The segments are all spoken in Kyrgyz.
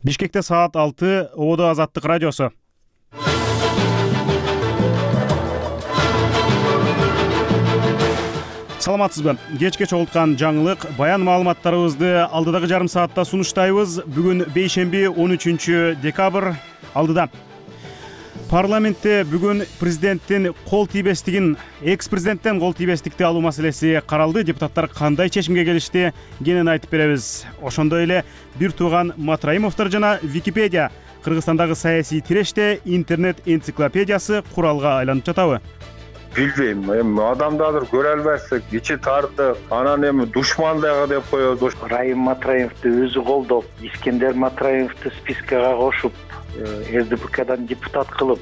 Бишкекте саат 6, Оодо Азаттык радиосу. Саламатсызбы? Кечке чогулткан жаңылык, баян маалыматтарыбызды алдыдагы жарым саатта сунуштайбыз. Бүгүн бейшемби 13 декабрь. Алдыда парламентте бүгүн экс-президенттен кол тийбестикти алуу маселеси каралды. Депутаттар кандай чечимге келишти, кенен айтып беребиз. Ошондой эле бир тууган Матраимовдор жана Википедия Кыргызстандагы саясий тиреште интернет энциклопедиясы куралга айланып жатабы? Билбейм, адамдарды көрө албайсың, ичи тарды, анан душмандагы деп коебуз. Райым Матраимовду өзү колдоп, Искендер Матраимовду спискага кошуп, РДПКдан депутат кылып.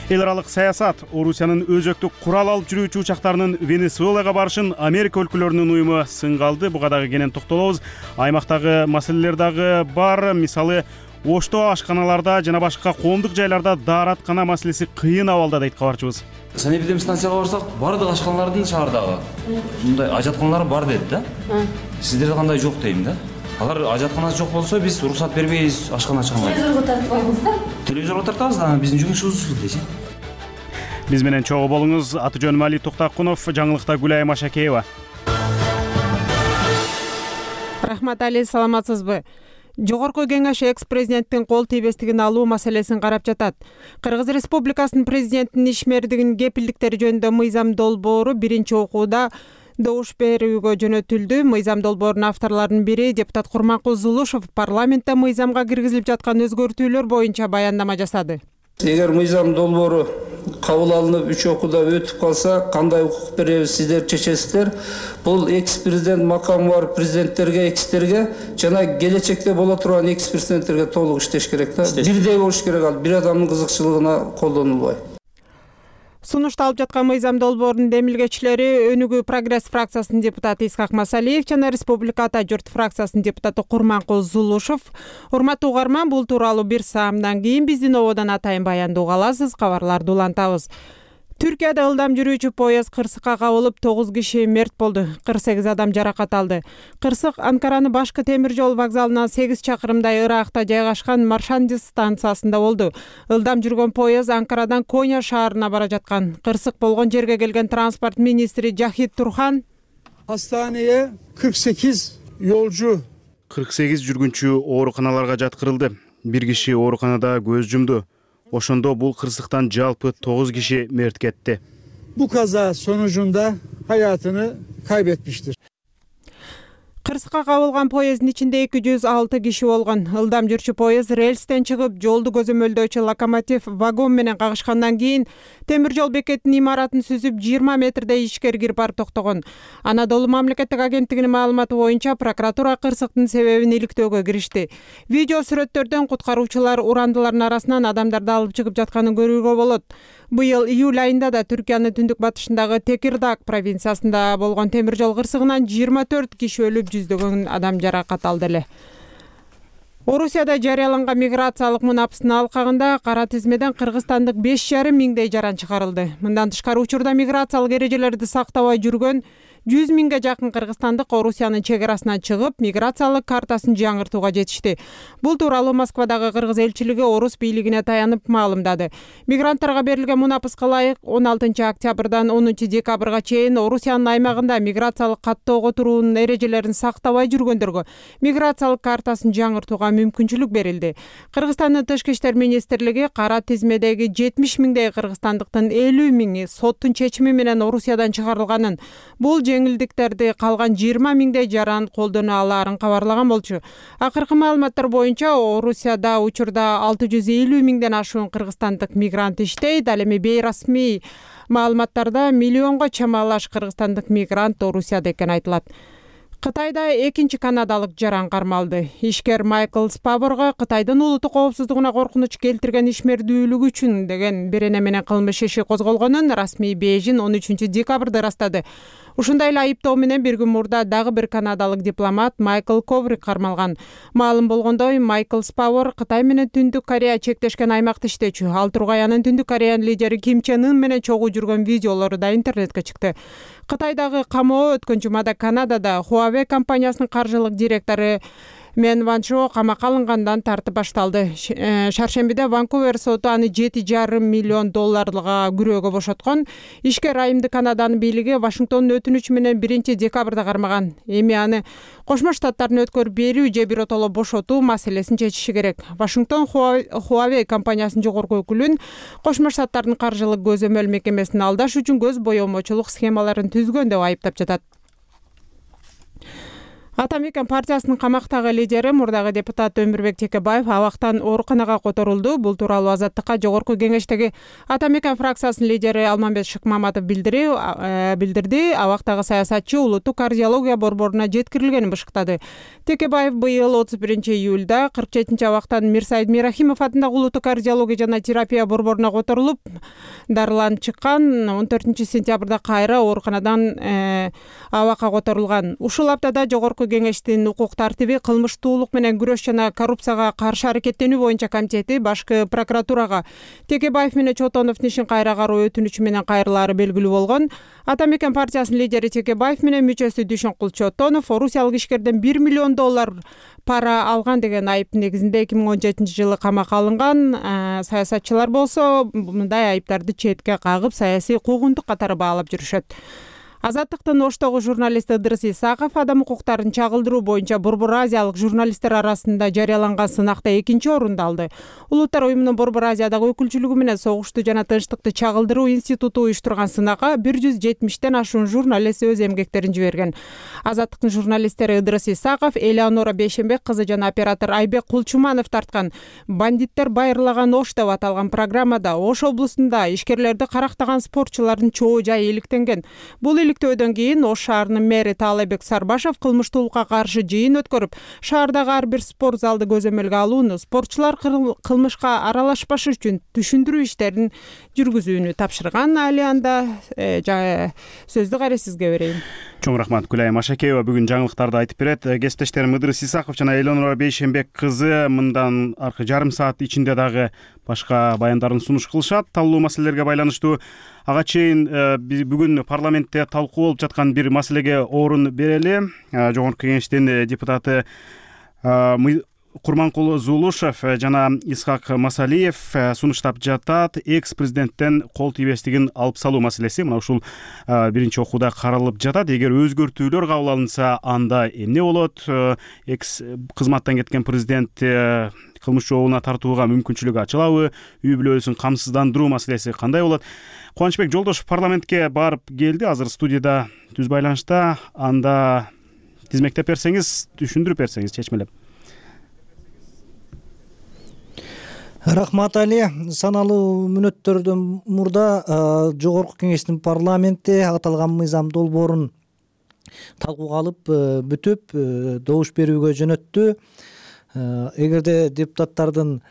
Эл аралык саясат, Орусиянын өзөктүк курал алып жүрүүчү учактарынын Венесуэлага барышын Америка өлкөлөрүнүн уюму сынга алды. Буга дагы кенен токтолобуз. Аймактагы маселелер дагы бар. Мисалы, Ошто ашканаларда жана башка коомдук жайларда даараткана маселеси кыйын абалда дейт кабарчыбыз. Санэпидемстанцияга барсак, бардык ашканалардын шаардагы мындай ажатканалар бар дейт да. Сиздерде кандай жок дейм да. Алар ажатканасы жок болсо, биз уруксат бербейбиз ашкана ачканга. Телевизорго тартпайбыз да. Телевизорго тартабыз да, биздин жумушубуз ушул дечи. Биз менен чогуу болуңуз. Аты жөнүм Али Токтакунов, жаңылыкта Гүлай Машакеева. Рахмат Али, саламатсызбы? Жогорку кеңеш экс-президенттин кол тийбестигин алуу маселесин карап жатат. Кыргыз Республикасынын президентинин ишмердигинин кепилдиктери жөнүндө мыйзам долбоору биринчи окууда добуш берүүгө жөнөтүлдү. Мыйзам долбоорунун авторлорунун бири депутат Курманкул Зулушев парламентте мыйзамга киргизилип жаткан өзгөртүүлөр боюнча баяндама жасады. Эгер мыйзам долбоору кабыл алынып 3 окууда өтүп калса, кандай укук беребиз, сиздер чечесиздер. Бул экс-президент макамы бар президенттерге, экстерге жана келечекте боло турган экс-президенттерге толук иштеш керек да. Бирдей болуш керек, ал бир адамдын кызыкчылыгына колдонулбай. Сунушталып жаткан мыйзам долбоорунун демилгечилери Өнүгүү Прогресс фракциясынын депутаты Исхак Масалиев жана Республика Ата журт фракциясынын депутаты Курманкул Зулушев. Урматтуу угарман, бул тууралуу бир саамдан кийин биздин Ободон атайын баяндоого аласыз. Кабарларды улантабыз. Түркияда ылдам жүрүүчү поезд кырсыкка кабылып 9 киши мерт болду. 48 адам жаракат алды. Кырсык Анкаранын башкы темир жол вокзалынан 8 чакырымдай ыракта жайгашкан Маршандис станциясында болду. Ылдам жүргөн поезд Анкарадан Коня шаарына бара жаткан. Кырсык болгон жерге келген транспорт министри Жахит Турхан Hastaneye 48 yolcu 48 жүргүнчү ооруканаларга жаткырылды. Бир киши ооруканада көз жумду. Ошондо бул кырсыктан жалпы 9 киши мерт кетти. bu kaza sonucunda hayatını kaybetmiştir. Кырсыкка кабылган поезддин ичинде 206 киши болгон. Ылдам жүрчү поезд рельстен чыгып, жолду көзөмөлдөөчү локомотив вагон менен кагышкандан кийин темир жол бекетинин имаратын сүзүп 20 метрдей ичкери кирип барып токтогон. Анадолу мамлекеттик агенттигинин маалыматы боюнча прокуратура кырсыктын себебин иликтөөгө киришти. Видео сүрөттөрдөн куткаруучулар урандылардын арасынан адамдарды алып чыгып жатканын көрүүгө болот. Быйыл июль айында да Түркиянын түндүк батышындагы Текирдаг провинциясында болгон темир жол кырсыгынан 24 киши өлүп, жүздөгөн адам жаракат алды эле. Орусияда жарыяланган миграциялык мунапыстын алкагында кара тизмеден кыргызстандык 5,5 миңдей жаран чыгарылды. Мындан тышкары учурда миграциялык эрежелерди сактабай жүргөн 100 миңге жакын кыргызстандык Орусиянын чек арасынан чыгып, миграциялык картасын жаңыртууга жетишти. Бул тууралуу Москвадагы кыргыз элчилиги Орус бийлигине таянып маалымдады. Мигранттарга берилген мунапыска ылайык 16 октябрдан 10 декабрга чейин Орусиянын аймагында миграциялык каттоого туруунун эрежелерин сактабай жүргөндөргө миграциялык картасын жаңыртууга мүмкүнчүлүк берилди. Кыргызстандын тышкы иштер министрлиги кара тизмедеги 70 миңдей кыргызстандыктын 50 миңи соттун чечими менен Орусиядан чыгарылганын, бул жеңилдиктерди калган 20 миңдей жаран колдоно алаарын кабарлаган болчу. Акыркы маалыматтар боюнча Орусияда учурда 650 миңден ашуун кыргызстандык мигрант иштейт. Ал эми бейрасмий маалыматтарда миллионго чамалаш кыргызстандык мигрант Орусияда экени айтылат. Кытайда экинчи канадалык жаран кармалды. Ишкер Майкл Спаворго Кытайдын улуттук коопсуздугуна коркунуч келтирген ишмердүүлүк үчүн деген берене менен кылмыш иши козголгонун расмий Бейжин 13 декабрда ырастады. Ушундай эле айыптоо менен бир күн мурда дагы бир канадалык дипломат Майкл Коврик кармалган. Маалым болгондой, Майкл Спавор Кытай менен Түндүк Корея чектешкен аймакта иштечү. Ал Тургаянын Түндүк Кореянын лидери Ким Чен Ын менен чогуу жүргөн видеолору да интернетке чыкты. Кытайдагы камоо өткөн жумада Канадада Huawei компаниясынын каржылык директору Мен Ванчо камакка алынгандан тартып башталды. Шаршембиде Ванкувер соту аны $7,5 миллион күрөөгө бошоткон. Ишкер айымды Канаданын бийлиги Вашингтондун өтүнүчү менен 1-декабрда кармаган. Эми аны Кошмо Штаттардын өткөрүп берүү же биротоло бошотуу маселесин чечиши керек. Вашингтон Huawei компаниясынын жогорку өкүлүн Кошмо Штаттардын каржылык көзөмөл мекемесин алдаш үчүн көз боемочулук схемаларын түзгөн деп айыптап жатат. Атамекен партиясынын камактагы лидери мурдагы депутат Өмүрбек Текебаев абактан ооруканага которулду. Бул тууралуу Азаттыкка жогорку кеңештеги Атамекен фракциясынын лидери Алмамбет Шыкмаматов билдирди. Абактагы саясатчы улуттук кардиология борборуна жеткирилгенин бышыктады. Текебаев быйыл 31-июлда 47-абактан Мирсайыт Мирахимов атындагы улуттук кардиология жана терапия борборуна которулуп, дарыланып чыккан. 14-сентябрда кайра ооруканадан абакка которулган. Ушул аптада жогорку кеңештин укук тартиби, кылмыштуулук менен күрөш жана коррупцияга каршы аракеттенүү боюнча комитети башкы прокуратурага Текебаев менен Чотоновдун ишин кайра кароо өтүнүчү менен кайрылаары белгилүү болгон. Атамекен партиясынын лидери Текебаев менен мүчөсү Дүйшөнкул Чотонов орусиялык ишкерден $1 миллион пара алган деген айыптын негизинде 2017-жылы камакка алынган. Саясатчылар болсо мындай айыптарды четке кагып, саясий куугунтук катары баалап жүрүшөт. Азаттыктын Оштогу журналисти Ыдырыс Исаков адам укуктарын чагылдыруу боюнча Борбор Азиялык журналисттер арасында жарыяланган сынакта 2-орунду алды. Улуттар уюмунун Борбор Азиядагы өкүлчүлүгү менен согушту жана тынчтыкты чагылдыруу институту уюштурган сынакка 170 ашуун журналист өз эмгектерин жиберген. Азаттыктын журналисттери Ыдырыс Исаков, Элеонора Бейшембек кызы жана оператор Айбек Кулчуманов тарткан «Бандиттер байырлаган Ош» деп аталган программада Ош облусунда ишкерлерди карактаган спортчулардын чоо жайы иликтенген. Бул иликтөөдөн кийин Ош шаарынын мэри Таалайбек Сарбашев кылмыштуулукка каршы жыйын өткөрүп, шаардагы ар бир спорт залды көзөмөлгө алууну, спортчулар кылмышка аралашпашы үчүн түшүндүрүү иштерин жүргүзүүнү тапшырган. Алианда сөздү кайра сизге берейин. Чоң рахмат. Гүлайым Машакеева бүгүн жаңылыктарды айтып берет. Кесиптештерим Ыдырыс Исаков жана Элеонора Бейшембек кызы мындан аркы жарым саат ичинде дагы башка баяндарын сунуш кылышат. Талуу маселелерге байланыштуу ага чейин бүгүн парламентте талкуу болуп жаткан бир маселеге орун берели. Жогорку кеңештин депутаты Курманкул Зулушев жана Исхак Масалиев сунуштап жатат. Экс-президенттен кол тийбестигин алып салуу маселеси мына ушул биринчи окууда каралып жатат. Эгер өзгөртүүлөр кабыл алынса, анда эмне болот? Экс кызматтан кеткен президент кылмыш жообуна тартууга мүмкүнчүлүгү ачылабы? Үй бүлөсүн камсыздандыруу маселеси кандай болот? Кубанычбек Жолдошев парламентке барып келди. Азыр студияда түз байланышта. Анда тизмектеп берсеңиз, түшүндүрүп берсеңиз чечмелеп. Рахмат Али. Саналуу мүнөттөрдөн мурда жогорку кеңештин парламенти аталган мыйзам долбоорун талкууга алып бүтүп добуш берүүгө жөнөттү. Эгерде депутаттардын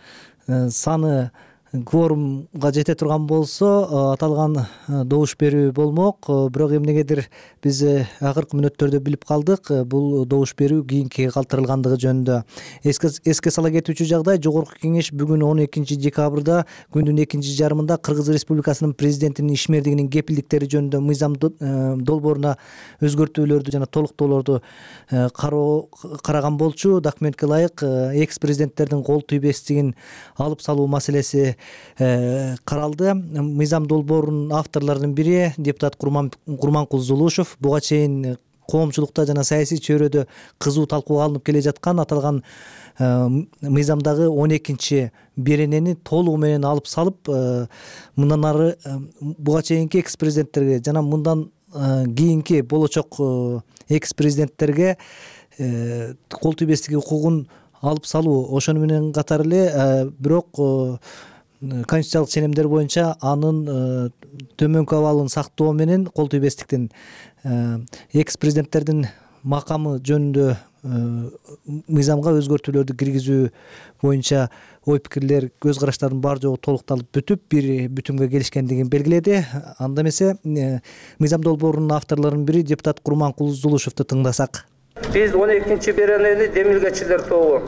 саны кворумга жете турган болсо, аталган добуш берүү болмок. Бирок эмнегедир биз акыркы мүнөттөрдө билип калдык, бул добуш берүү кийинкиге калтырылгандыгы жөнүндө. Эске сала кетүүчү жагдай, жогорку кеңеш бүгүн 12-декабрда күндүн экинчи жарымында Кыргыз Республикасынын президентинин ишмердигинин кепилдиктери жөнүндө мыйзам долбооруна өзгөртүүлөрдү жана толуктоолорду караган болчу. Документке ылайык экс-президенттердин кол тийбестигин алып салуу маселеси каралды. Мыйзам долбоорунун авторлорунун бири депутат Курманкул Зулушев буга чейин коомчулукта жана саясий чөйрөдө кызуу талкууга алынып келе жаткан аталган мыйзамдагы 12-чи беренени толугу менен алып салып, мындан ары буга чейинки экс-президенттерге жана мындан кийинки болочок экс-президенттерге кол тийбестиги укугун алып салуу, ошону менен катар эле бирок конституциялык ченемдер боюнча анын төмөнкү абалын сактоо менен кол тийбестиктин экс-президенттердин макамы жөнүндө мыйзамга өзгөртүүлөрдү киргизүү боюнча ой пикирлер, көз караштардын бар жогу толукталып бүтүп, бир бүтүмгө келишкендигин белгиледи. Анда эмесе мыйзам долбоорунун авторлорунун бири депутат Курманкул Зулушевду тыңдасак. Биз 12-беренени демилгечилер тобу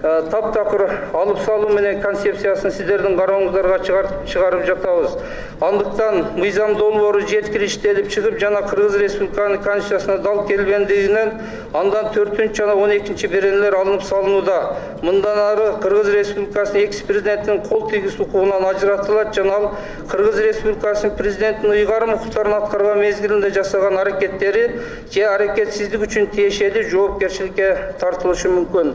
таптакыр алып салуу менен концепциясын сиздердин карооңуздарга чыгарып жатабыз. Андыктан мыйзам долбоору жеткириштелип чыгып жана Кыргыз Республикасынын Конституциясына дал келбендигинен андан 4 жана 12 беренелер алынып салынууда. Мындан ары Кыргыз Республикасынын экс-президентинин кол тийгиз укугунан ажыратылат жана ал Кыргыз Республикасынын президентинин ыйгарым укуктарын аткарган мезгилинде жасаган аракеттери же аракетсиздик үчүн тиешелүү жоопкерчиликке тартылышы мүмкүн.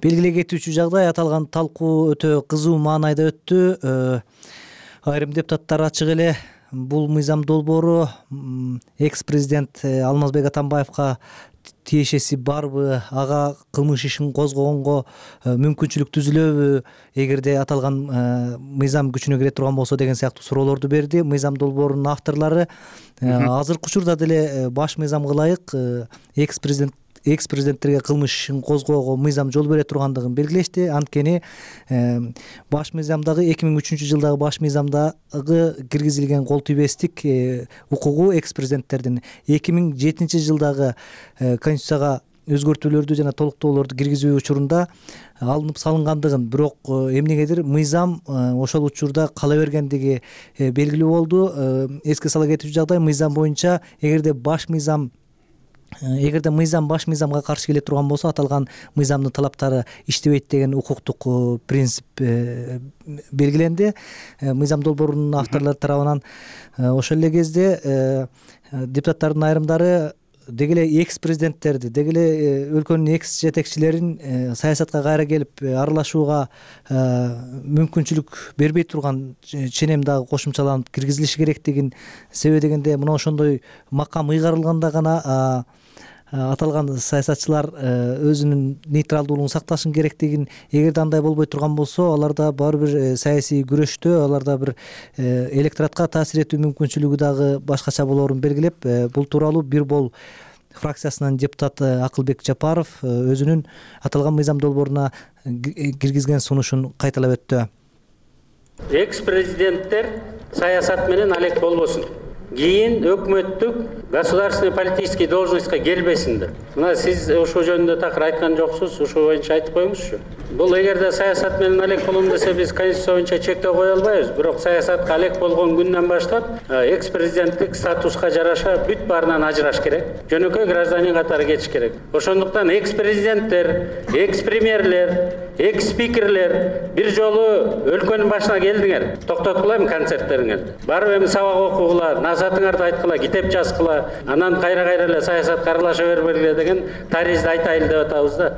Белгилей кетүүчү жагдай, аталган талкуу өтө кызуу маанайда өттү. Айрым депутаттар ачык эле бул мыйзам долбоору экс-президент Алмазбек Атамбаевка тиешеси барбы, ага кылмыш ишин козгогонго мүмкүнчүлүк түзүлөбү, эгерде аталган мыйзам күчүнө кире турган болсо деген сыяктуу суроолорду берди. Мыйзам долбоорунун авторлору азыркы учурда деле баш мыйзамга ылайык экс-президенттерге кылмыш ишин козгоого мыйзам жол бере тургандыгын белгилешти. Анткени баш мыйзамдагы 2003 жылдагы баш мыйзамдагы киргизилген кол тийбестик укугу экс-президенттердин 2007 жылдагы Конституцияга өзгөртүүлөрдү жана толуктоолорду киргизүү учурунда алынып салынгандыгын, бирок эмнегедир мыйзам ошол учурда кала бергендиги белгилүү болду. Эске сала кетүүчү жагдай, мыйзам боюнча эгерде мыйзам баш мыйзамга каршы келе турган болсо, аталган мыйзамдын талаптары иштебейт деген укуктук принцип белгиленди. Мыйзам долбоорунун авторлору тарабынан ошол эле кезде депутаттардын айрымдары деги эле экс-президенттерди, деги эле өлкөнүн экс-жетекчилерин саясатка кайра келип аралашууга мүмкүнчүлүк бербей турган ченем дагы кошумчаланып киргизилиши керектигин, себеби дегенде мына ошондой макам ыйгарылганда гана аталган саясатчылар өзүнүн нейтралдуулугун сакташын керектигин, эгерде андай болбой турган болсо, аларда баары бир саясий күрөштө аларда бир электоратка таасир этүү мүмкүнчүлүгү дагы башкача болоорун белгилеп, бул тууралуу Бир бол фракциясынын депутаты Акылбек Жапаров өзүнүн аталган мыйзам долбооруна киргизген сунушун кайталап өттү. Экс-президенттер саясат менен алек болбосун. Кийин өкмөттүк государственный политический должностька келбесиндер. Мына сиз ошол жөнүндө такыр айткан жоксуз, ошол боюнча айтып коюңузчу. Бул эгерде саясат менен алек болом десе, биз Конституция боюнча чектөө кое албайбыз. Бирок саясатка алек болгон күндөн баштап экс-президенттик статуска жараша бүт баарынан ажыраш керек. Жөнөкөй гражданин катары кетиш керек. Ошондуктан экс-президенттер, экс-премьерлер, экс-спикерлер бир жолу өлкөнүн башына келдиңер. Токтоткула концерттериңерди. Барып эми сабак окугула, назатыңарды айткыла, китеп жазгыла, анан кайра эле саясатка аралаша бербегиле деген таризди айтайлы деп атабыз да.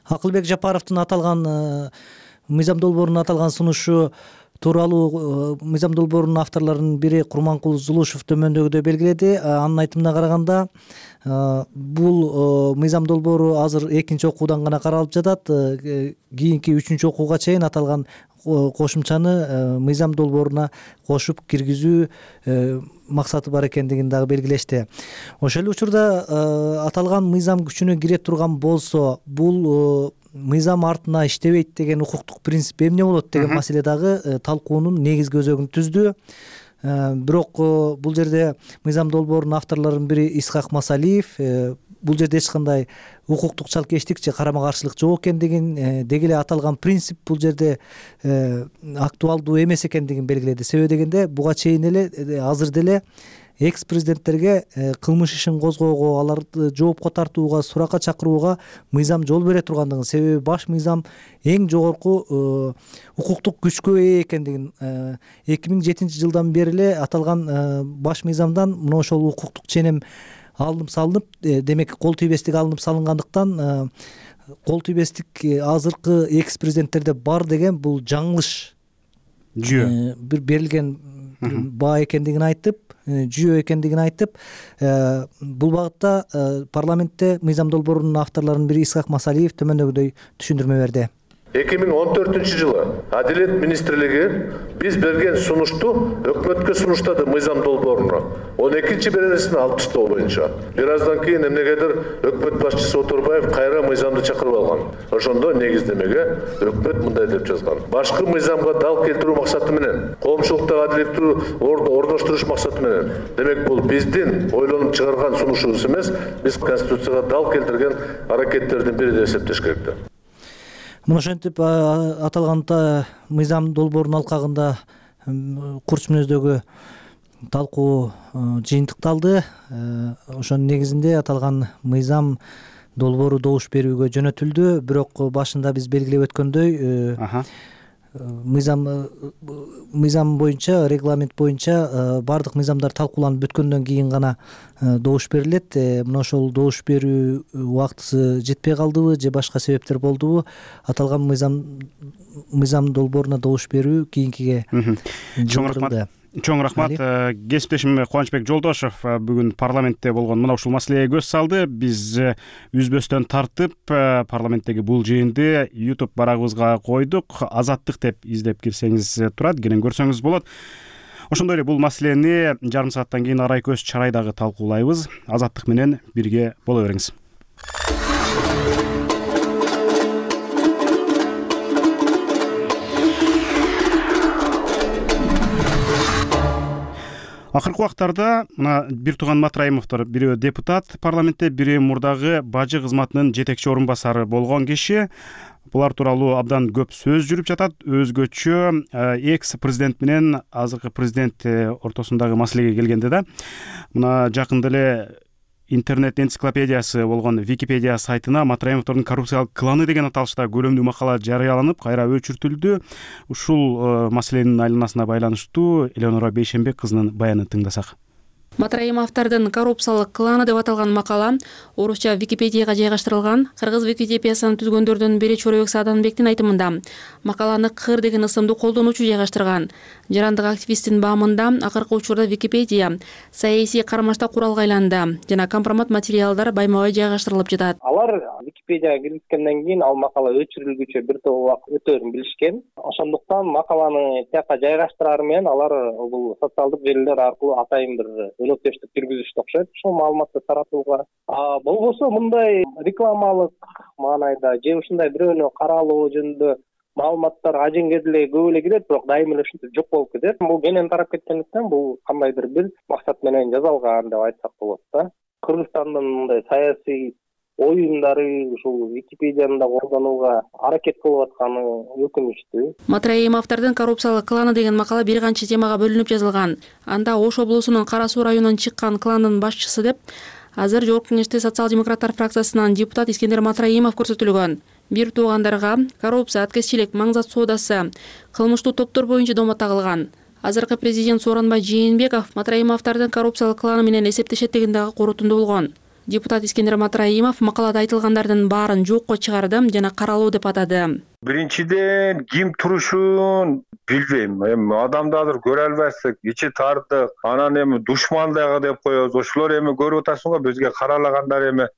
Акылбек Жапаровдун аталган мыйзам долбоорунун аталган сунушу тууралуу мыйзам долбоорунун авторлорунун бири Курманкул Зулушев төмөндөгүдөй белгиледи. Анын айтымына караганда, бул мыйзам долбоору азыр экинчи окуудан гана каралып жатат. Кийинки 3-үчү окууга чейин аталган кошумчаны мыйзам долбооруна кошуп киргизүү максаты бар экендигин дагы белгилешти. Ошол эле учурда аталган мыйзам күчүнө кире турган болсо, бул мыйзам артына иштебейт деген укуктук принцип эмне болот деген маселе дагы талкуунун негизги өзөгүн түздү. Бирок бул жерде мыйзам долбоорунун авторлорунун бири Исхак Масалиев бул жерде эч кандай укуктук чалкештик же карама каршылык жок экендигин, деги эле аталган принцип бул жерде актуалдуу эмес экендигин белгиледи. Себеби дегенде буга чейин эле азыр деле экс-президенттерге кылмыш ишин козгоого, аларды жоопко тартууга, суракка чакырууга мыйзам жол бере тургандыгын, себеби баш мыйзам эң жогорку укуктук күчкө ээ экендигин, 2007 жылдан бери эле аталган баш мыйзамдан мына ошол укуктук ченем алынып салынып, демек кол тийбестик алынып салынгандыктан кол тийбестик азыркы экс-президенттерде бар деген бул жаңылыш жүйө бир берилген баа экендигин айтып, жүйө экендигин айтып, бул багытта парламентте мыйзам долбоорунун авторлорунун бири Исхак Масалиев төмөндөгүдөй түшүндүрмө берди. 2014 жылы Адилет министрлиги биз берген сунушту өкмөткө сунуштады мыйзам долбооруна. 12-чи беренесин алып таштоо боюнча. Бир аздан кийин эмнегедир өкмөт башчысы Оторбаев кайра мыйзамды чакырып алган. Ошондо негиздемеге өкмөт мындай деп жазган: башкы мыйзамга дал келтирүү максаты менен, коомчулукта адилеттүү орноштуруш максаты менен. Демек бул биздин ойлонуп чыгарган сунушубуз эмес, биз Конституцияга дал келтирген аракеттердин бири деп эсептеш керек. Мына ошентип аталган мыйзам долбоорунун алкагында курч мүнөздөгү талкуу жыйынтыкталды. Ошонун негизинде аталган мыйзам долбоору добуш берүүгө жөнөтүлдү. Бирок башында биз белгилеп өткөндөй мыйзам боюнча, регламент боюнча баардык мыйзамдар талкууланып бүткөндөн кийин гана добуш берилет. Мына ошол добуш берүү убактысы жетпей калдыбы же башка себептер болдубу? Аталган мыйзам долбооруна добуш берүү кийинкиге жылдырылды. Чоң рахмат. Кесиптешим Кубанычбек Жолдошов бүгүн парламентте болгон мына ушул маселеге көз салды. Биз үзбөстөн тартып парламенттеги бул жыйынды YouTube барагыбызга койдук. Азаттык деп издеп кирсеңиз турат, кенен көрсөңүз болот. Ошондой эле бул маселени жарым сааттан кийин арай көз чарайдагы талкуулайбыз. Азаттык менен бирге боло бериңиз. Акыркы убактарда мына бир тууган Матраимовдор, бирөө депутат парламентте, бирөө мурдагы бажы кызматынын жетекчи орун басары болгон киши. Булар тууралуу абдан көп сөз жүрүп жатат. Өзгөчө экс президент менен азыркы президент ортосундагы маселеге келгенде да мына жакында эле интернет энциклопедиясы болгон Википедия сайтына Матраимовдордун коррупциялык кланы деген аталышта көлөмдүү макала жарыяланып, кайра өчүртүлдү. Ушул маселенин айланасына байланыштуу Элеонора Бейшенбек кызынын баянын тыңдасак. Матраимовдордун коррупциялык кланы деп аталган макала орусча Википедияга жайгаштырылган. Кыргыз Википедиясын түзгөндөрдүн бири Чоройбек Сааданбектин айтымында макаланы Кыр деген ысымды колдонуучу жайгаштырган. Жарандык активисттин баамында акыркы учурда Википедия саясий кармашта куралга айланды жана компромат материалдар байма-бай жайгаштырылып жатат. Алар Википедияга киргизгенден кийин ал макала өчүрүлгүчө бир топ убакыт өтөөрүн билишкен. Ошондуктан макаланы тияка жайгаштыраар менен алар бул социалдык желилер аркылуу атайын бир өлөктөштүк жүргүзүштү окшойт ушул маалыматты таратууга. Болбосо мындай рекламалык маанайда же ушундай бирөөнү каралоо жөнүндө маалыматтар ажеңге деле көп эле кирет, бирок дайыма эле ушинтип жок болуп кетет. Бул кенен тарап кеткендиктен бул кандайдыр бир максат менен жасалган деп айтсак болот да. Кыргызстандын мындай саясий оюндары ушул Википедияны да колдонууга аракет кылып атканы өкүнүчтүү. Матраимовдордун коррупциялык кланы деген макала бир канча темага бөлүнүп жазылган. Анда Ош облусунун Кара Суу районунан чыккан кландын башчысы деп азыр Жогорку Кеңеште социал-демократтар фракциясынан депутат Искендер Матраимов көрсөтүлгөн. Бир туугандарга коррупция, аткезчилик, маңзат соодасы, кылмыштуу топтор боюнча домо тагылган. Азыркы президент Сооронбай Жээнбеков Матраимовдордун коррупциялык кланы менен эсептешет деген дагы корутунду болгон. Депутат Искендер Матраимов макалада айтылгандардын баарын жокко чыгарды жана каралуу деп атады. Биринчиден ким турушун билбейм. Адамдарды көрө албайсың, ичи тартык, анан душман дагы деп коебуз. Ошолор көрүп атасың го, бизге каралагандар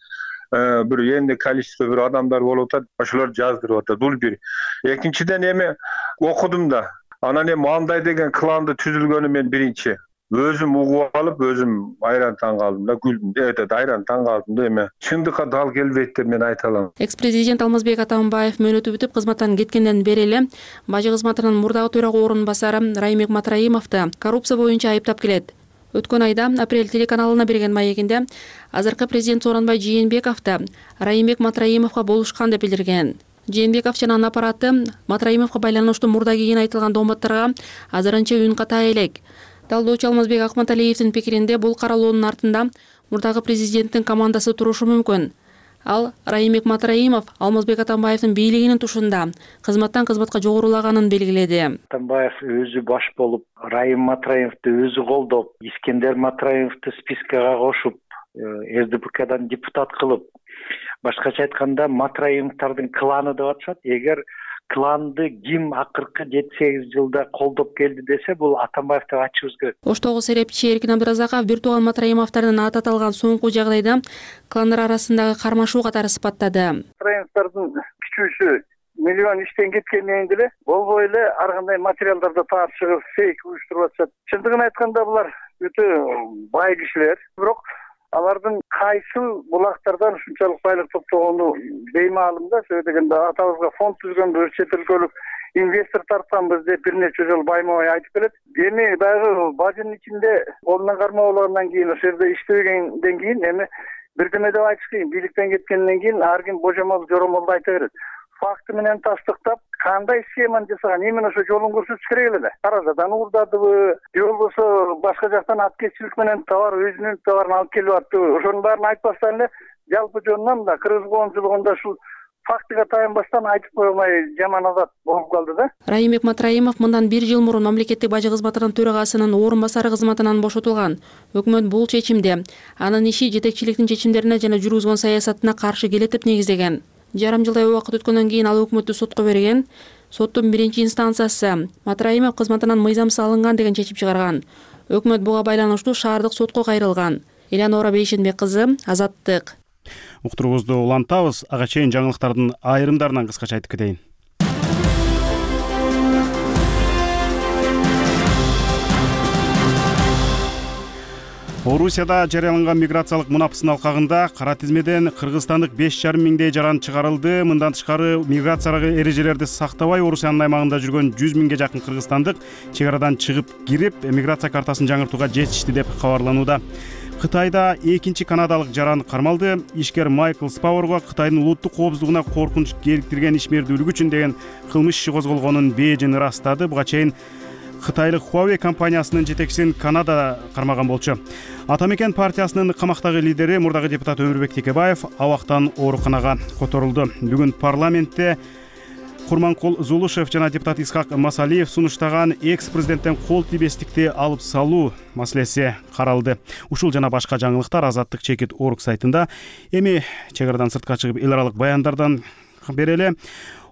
бир энди количество бир адамдар болуп атат. Ошолор жаздырып атат. Бул бир. Экинчиден окудум да. Анан андай деген кланды түзүлгөнү мен биринчи өзүм угуп алып, өзүм айран таң калдым да, күлдүм. Айран таң калдым да, чындыкка дал келбейт деп мен айта алам. Экс-президент Алмазбек Атамбаев мөөнөтү бүтүп кызматтан кеткенден бери эле бажы кызматынын мурдагы төрага орун басары Райымбек Матраимовду коррупция боюнча айыптап келет. Өткөн айда Апрель телеканалына берген маегинде азыркы президент Сооронбай Жээнбековду Райымбек Матраимовго болушкан деп билдирген. Жээнбеков жана анын аппараты Матраимовго байланыштуу мурда кийин айтылган дооматтарга азырынча үн ката элек. Талдоочу Алмазбек Акматалиевдин пикиринде бул каралоонун артында мурдагы президенттин командасы турушу мүмкүн. Ал Райымбек Матраимов Алмазбек Атамбаевдин бийлигинин тушунда кызматтан кызматка жогорулаганын белгиледи. Атамбаев өзү баш болуп, Райым Матраимовду өзү колдоп, Искендер Матраимовду спискага кошуп, СДПКдан депутат кылып, башкача айтканда Матраимовдордун кланы деп атышат. Эгер кланды ким акыркы 7-8 жылда колдоп келди десе, бул Атамбаев деп айтышыбыз керек. Оштогу серепчи Эркин Абдыразаков бир тууган Матраимовдордун аты аталган соңку жагдайда кландар арасындагы кармашуу катары сыпаттады. Матраимовдордун күчүүсү миллион иштен кеткенден деле болбой эле ар кандай материалдарды таап чыгып фейк уюштуруп атышат. Чындыгын айтканда булар өтө бай кишилер, бирок алардын кайсы булактардан ушунчалык байлык топтогону беймаалым да. Сөзсүз дегенде атабызга фонд түзгөнбүз, чет өлкөлүк инвестор тартканбыз деп бир нече жолу байма-бай айтып келет. Эми дагы бажынын ичинде колунан кармоо болгондон кийин, ошол жерде иштебегенден кийин бирдеме деп айтыш кыйын. Бийликтен кеткенден кийин ар ким божомол жоромолду айта берет. факты менен тастыктап, кандай схеманы жасаган, именно ошо жолун көрсөтүш керек эле да. Каражадан уурдадыбы, же болбосо башка жактан аткезчилик менен товар, өзүнүн товарын алып келип аттыбы, ошонун баарын айтпастан эле жалпы жөнүнөн да кыргыз коомчулугунда ушул фактыга таянбастан айтып кое алмай жаман адат болуп калды да. Райымбек Матраимов мындан 1 жыл мурун мамлекеттик бажы кызматынын төрагасынын орун басары кызматынан бошотулган. Өкмөт бул чечимди анын иши жетекчиликтин чечимдерине жана жүргүзгөн саясатына каршы келет деп негиздеген. Жарым жылдай убакыт өткөндөн кийин ал өкмөттү сотко берген. Соттун 1-инстанциясы Матраимов кызматынан мыйзамсыз алынган деген чечим чыгарган. Өкмөт буга байланыштуу шаардык сотко кайрылган. Элеонора Бейшенбек кызы, Азаттык. Уктуруубузду улантабыз. Ага чейин жаңылыктардын айрымдарынан кыскача айтып кетейин. Орусияда жарыяланган миграциялык мунапсын алкагында кара тизмеден кыргызстандык 5,5 миңдей жаран чыгарылды. Мындан тышкары миграциялык эрежелерди сактабай Орусиянын аймагында жүргөн 100 миңге жакын кыргызстандык чек арадан чыгып кирип, миграция картасын жаңыртууга жетишти деп кабарланууда. Кытайда экинчи канадалык жаран кармалды. Ишкер Майкл Спауэрго Кытайдын улуттук коопсуздугуна коркунуч келтирген ишмердүүлүк үчүн деген кылмыш иши козголгонун Бейжиң ырастады. Буга чейин Кытайлык Huawei компаниясынын жетекчисин Канада кармаган болчу. Ата мекен партиясынын камактагы лидери мурдагы депутат Өмүрбек Текебаев абактан ооруканага которулду. Бүгүн парламентте Курманкул Зулушев жана депутат Исхак Масалиев сунуштаган экс-президенттен кол тийбестикти алып салуу маселеси каралды. Ушул жана башка жаңылыктар Азаттык чекит орг сайтында. Эми чек арадан сыртка чыгып эл аралык баяндардан берели.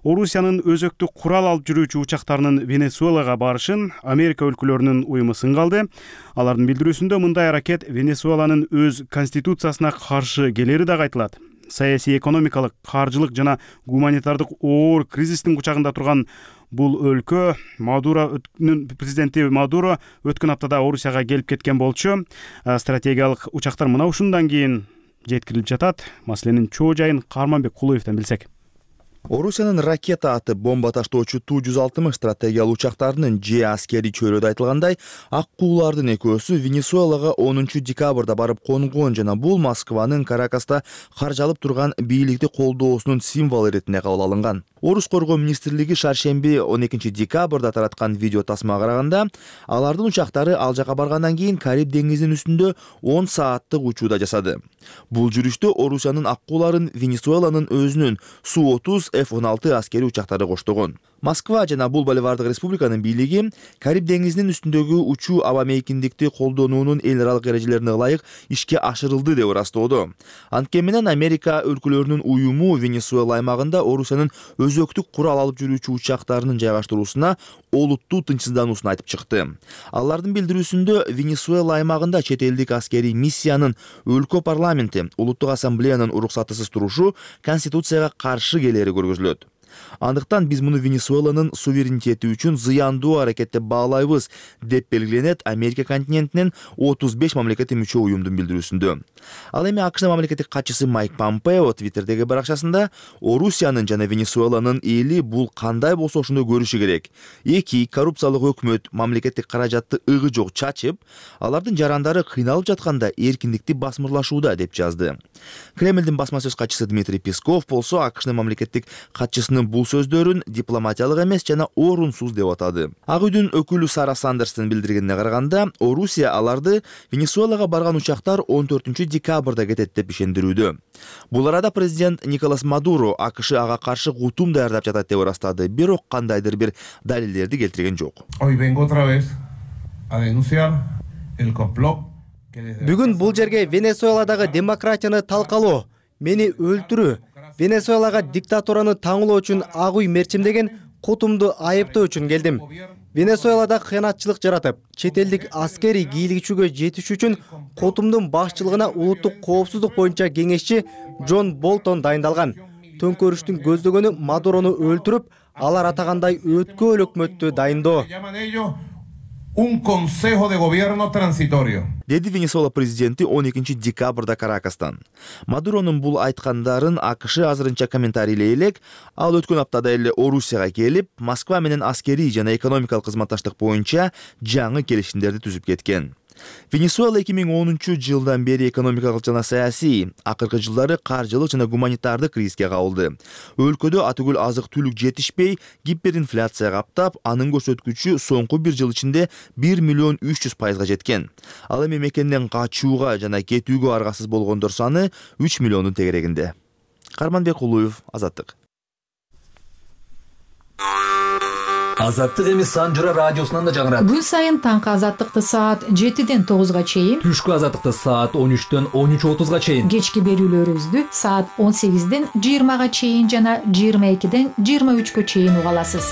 Орусиянын өзөктүк курал алып жүрүүчү учактарынын Венесуэлага барышын Америка өлкөлөрүнүн уюму сынгалды. Алардын билдирүүсүндө мындай аракет Венесуэланын өз конституциясына каршы келери да айтылат. Саясий, экономикалык, каржылык жана гуманитардык оор кризистин кучагында турган бул өлкө Мадуронун президенти Мадуро өткөн аптада Орусияга келип кеткен болчу. Стратегиялык учактар мына ушундан кийин жеткирилип жатат. Маселенин чоо жайын Карманбек Кулуевден билсек. Орусиянын ракета аты бомба таштоочу Ту-160 стратегиялык учактарынын же аскерий чөйрөдө айтылгандай, ак куулардын экөөсү Венесуэлага 10 декабрда барып конгон жана бул Москванын Каракаста каржалып турган бийликти колдоосунун символу иретинде кабыл алынган. Орус коргоо министрлиги шаршемби 12 декабрда тараткан видео тасмага караганда, алардын учактары ал жака баргандан кийин Кариб деңизинин үстүндө 10 сааттык учууда жасады. Бул жүрүштө Орусиянын ак кууларын Венесуэланын өзүнүн Су-30 F-16 аскерий учактары коштогон. Москва жана бул Боливардык республиканын бийлиги Кариб деңизинин үстүндөгү учуу аба мейкиндикти колдонуунун эл аралык эрежелерине ылайык ишке ашырылды деп ырастоодо. Анткени менен Америка өлкөлөрүнүн уюму Венесуэла аймагында Орусиянын өзөктүк курал алып жүрүүчү учактарынын жайгаштыруусуна олуттуу тынчсыздануусун айтып чыкты. Алардын билдирүүсүндө Венесуэла аймагында чет элдик аскерий миссиянын өлкө парламенти улуттук ассамблеянын уруксатысыз турушу конституцияга каршы келери көргөзүлөт. Андыктан биз муну Венесуэланын суверенитети үчүн зыяндуу аракет деп баалайбыз деп белгиленет Америка континентинин 35 мамлекетке мүчө уюмдун билдирүүсүндө. Ал эми АКШ мамлекеттик катчысы Майк Помпео Твиттердеги баракчасында Орусиянын жана Венесуэланын эли бул кандай болсо ошондой көрүшү керек. Эки коррупциялык өкмөт мамлекеттик каражатты ыгы жок чачып, алардын жарандары кыйналып жатканда эркиндикти басмырлашууда деп жазды. Кремлдин басма сөз катчысы Дмитрий Песков болсо АКШ мамлекеттик катчысынын бул сөздөрүн дипломатиялык эмес жана орунсуз деп атады. Ак үйдүн өкүлү Сара Сандерстин билдиргенине караганда, Орусия аларды Венесуэлага барган учактар 14 декабрда кетет деп ишендирүүдө. Бул арада президент Николас Мадуро АКШ ага каршы гутум даярдап жатат деп ырастады, бирок кандайдыр бир далилдерди келтирген жок. Бүгүн бул жерге Венесуэладагы демократияны талкалоо, мени өлтүрүү, Венесуэлага диктатураны таңылоо үчүн ак үй мерчимдеген кутумду айыптоо үчүн келдим. Венесуэлада кыянатчылык жаратып, чет элдик аскерий кийлигичүүгө жетиш үчүн кутумдун башчылыгына улуттук коопсуздук боюнча кеңешчи Джон Болтон дайындалган. Төңкөрүштүн көздөгөнү Мадурону өлтүрүп, алар атагандай өткөл өкмөттү дайындоо. Un consejo de gobierno transitorio. Деди Венесуэла президенти 12 декабрда Каракастан. Мадуронун бул айткандарын АКШ азырынча комментарийлей элек, ал өткөн аптада эле Орусияга келип, Москва менен аскерий жана экономикалык кызматташтык боюнча жаңы келишимдерди түзүп кеткен. Венесуэла 2010-жылдан бери экономикалык жана саясий, акыркы жылдары каржылык жана гуманитардык кризиске кабылды. Өлкөдө атүгүл азык-түлүк жетишпей, гиперинфляция каптап, анын көрсөткүчү соңку бир жыл ичинде 1,300,000% жеткен. Ал эми мекенден качууга жана кетүүгө аргасыз болгондор саны 3 миллиондун тегерегинде. Карманбек Улуев, Азаттык. Азаттык эми Санжыра радиосунан да жаңырат. Күн сайын таңкы азаттыкты саат 7-ден 9-га чейин, түшкү азаттыкты саат 13-төн 13:30-га чейин, кечки берүүлөрүбүздү саат 18-ден 20-га чейин жана 22-ден 23-кө чейин уга аласыз.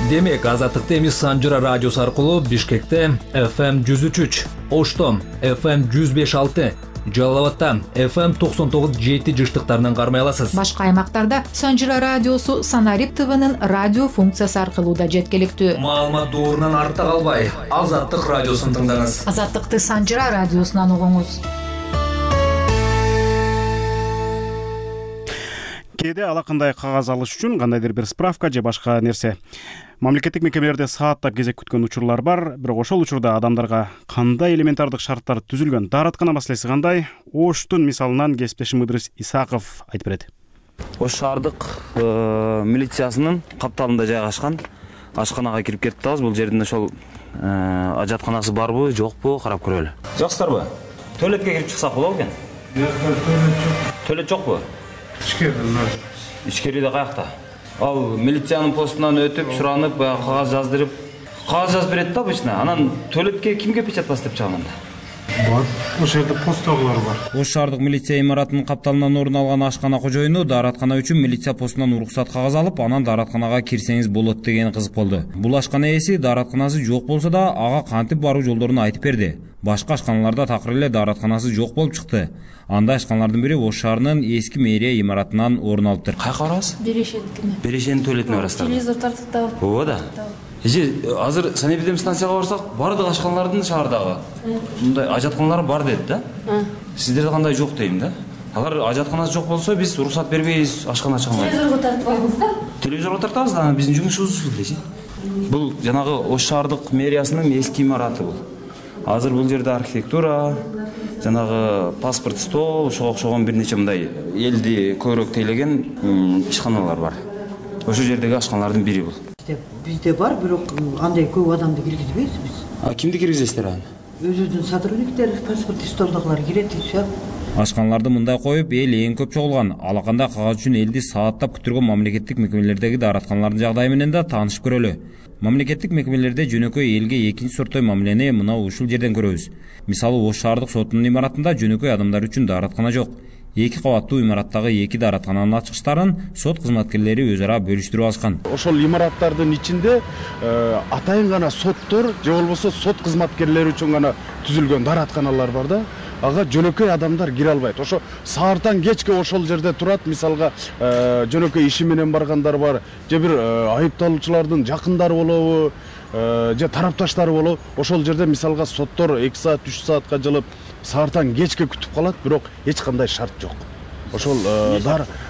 Демек, азаттыкты эми Санжыра радиосу аркылуу Бишкекте FM 103, Ошто FM 105.6, Жалал-Абадта FM 99.7 жыштыктарынан кармай аласыз. Башка аймактарда Санжыра радиосу Санарип ТВнын радио функциясы аркылуу да жеткиликтүү. Маалымат доорунан артта калбай, Азаттык радиосун тыңдаңыз. Азаттыкты Санжыра радиосунан угуңуз. Кээде алакандай кагаз алыш үчүн кандайдыр бир справка же башка нерсе мамлекеттик мекемелерде сааттап кезек күткөн учурлар бар. Бирок ошол учурда адамдарга кандай элементардык шарттар түзүлгөн, даараткана маселеси кандай? Оштун мисалынан кесиптешим Ыдрис Исаков айтып берет. Ош шаардык милициясынын капталында жайгашкан ашканага кирип кетип атабыз. Бул жердин ошол ажатканасы барбы, жокпу карап көрөлү. Жаксыздарбы? Туалетке кирип чыксак болобу экен? Туалет жокпу? Ичкериде каякта? Ал милициянын постунан өтүп, суранып, кагаз жаздырып, кагаз жазып берет да обычно. Анан туалетке кимге печать басып чыгамын да? Бар. Ошол жерде посттогулар бар. Ош шаардык милиция имаратынын капталынан орун алган ашкана кожоюну даараткана үчүн милиция постунан уруксат кагаз алып, анан дааратканага кирсеңиз болот деген кызык болду. Бул ашкана ээси дааратканасы жок болсо да, ага кантип баруу жолдорун айтып берди. Башка ашканаларда такыр эле дааратканасы жок болуп чыкты. Андай ашканалардын бири Ош шаарынын эски мэрия имаратынан орун алыптыр. Кайка барабыз? Берешендикине. Берешенин туалетине барасыздар. Телевизор тартып. Ооба да. Азыр санэпидемстанцияга барсак, бардык ашканалардын шаардагы мындай ажатканалар бар дедит да. Сиздерде кандай жок дейм да. Алар ажатканасы жок болсо, биз уруксат бербейбиз, ашкана ачканга. Телевизорго тартып коебуз да. Телевизорго тартабыз да, биздин жумушубуз ушул дечи. Бул жанагы Ош шаардык мэриясынын эски имараты бул. Азыр бул жерде архитектура, жанагы паспорт стол, ошого окшогон бир нече мындай элди көбүрөөк тейлеген ишканалар бар. Ошол жердеги ашканалардын бири бул. Бизде бар, бирок андай көп адамды киргизбейбиз биз. Кимди киргизесиздер аны? Өзүбүздүн сотрудниктер, паспорт столдогулар кирет дейт. Ашканаларды мындай коюп, эл эң көп чогулган. Алаканда кагаз үчүн элди сааттап күтүргөн мамлекеттик мекемелердеги дааратканалардын жагдайы менен да таанышып көрөлү. Мамлекеттик мекемелерде жөнөкөй элге экинчи сорттой мамилени мына ушул жерден көрөбүз. Мисалы, Ош шаардык сотунун имаратында жөнөкөй адамдар үчүн даараткана жок. 2 кабаттуу имараттагы 2 даараткананын ачкычтарын сот кызматкерлери өз ара бөлүштүрүп алышкан. Ошол имараттардын ичинде атайын гана соттор же болбосо сот кызматкерлери үчүн гана түзүлгөн дааратканалар бар да. Ага жөнөкөй адамдар кире албайт. Ошо саартан кечке ошол жерде турат. Мисалга жөнөкөй иши менен баргандар бар, же бир айыпталуучулардын жакындары болобу, же тарапташтары болобу. Ошол жерде мисалга соттор 2 саат, 3 саатка жылып, саартан кечке күтүп калат, бирок эч кандай шарт жок. Ошол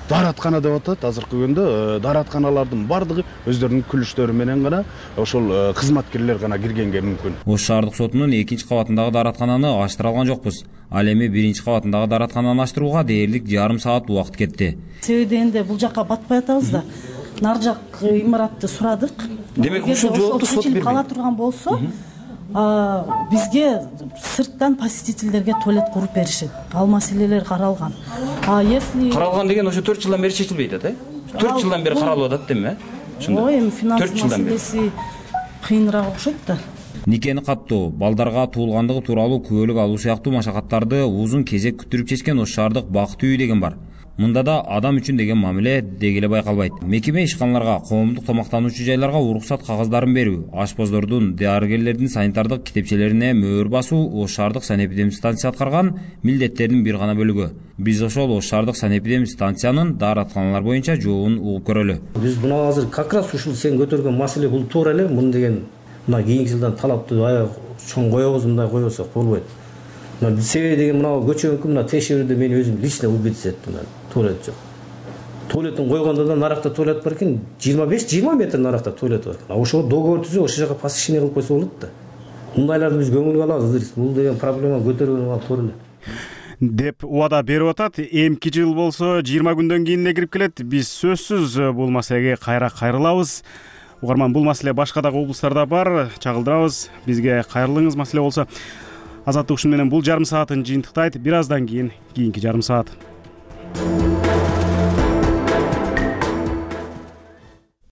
даараткана деп атат азыркы күндө. Дааратканалардын бардыгы өздөрүнүн күлүштөрү менен гана ошол кызматкерлер гана киргенге мүмкүн. Ош шаардык сотунун 2 кабатындагы даараткананы ачтыра алган жокпуз. Ал эми 1 кабатындагы даараткананы ачтырууга дээрлик жарым саат убакыт кетти. Себеби энде бул жакка батпай атабыз да. Нар жак имаратты сурадык. Демек ушул жоопту сот бербейт. Кала турган болсо, бизге сырттан посетительдерге туалет куруп беришет. Ал маселелер каралган. Если каралган деген ошо 4 жылдан бери чечилбейт да? 4 жылдан бери каралып атат демек, ошондо. Ой, эми финанс маселеси кыйыныраак окшойт да. Никени каттоо, балдарга туулгандыгы тууралуу күбөлүк алуу сыяктуу машакаттарды узун кезек күттүрүп чечкен Ош шаардык бакыт үйү деген бар. Мында да адам үчүн деген мамиле дегеле байкалбайт. Мекеме ишканаларга, коомдук тамактануучу жайларга уруксат кагаздарын берүү, ашпоздордун, дарыгерлердин санитардык китепчелерине мөөр басуу Ош шаардык санэпидемстанция аткарган милдеттердин бир гана бөлүгү. Биз ошол Ош шаардык санэпидемстанциянын дааратканалар боюнча жообун угуп көрөлү. Биз мына азыр как раз ушул сен көтөргөн маселе бул туура эле. Муну деген мына кийинки жылдан талапты аябай чоң коебуз, мындай койбосок болбойт. Себеби деген мына көчөңкү мына текшерүүдө мен өзүм лично убедиться эттим. Туалет жок. Туалеттин койгондо да наракта туалет бар экен, 25-20 метр наракта туалет бар экен. Ошол договор түзүп, ошол жака посещение кылып койсо болот да. мындайларды биз көңүлгө алабыз. Бул деген проблема көтөргөн туура эле деп убада берип атат. Эмки жыл болсо 20 күндөн кийин эле кирип келет. Биз сөзсүз бул маселеге кайра кайрылабыз. Угарман, бул маселе башка дагы облустарда бар. Чагылдырабыз. Бизге кайрылыңыз маселе болсо. Азаттык ушун менен бул жарым саатын жыйынтыктайт. Бир аздан кийин кийинки жарым саат.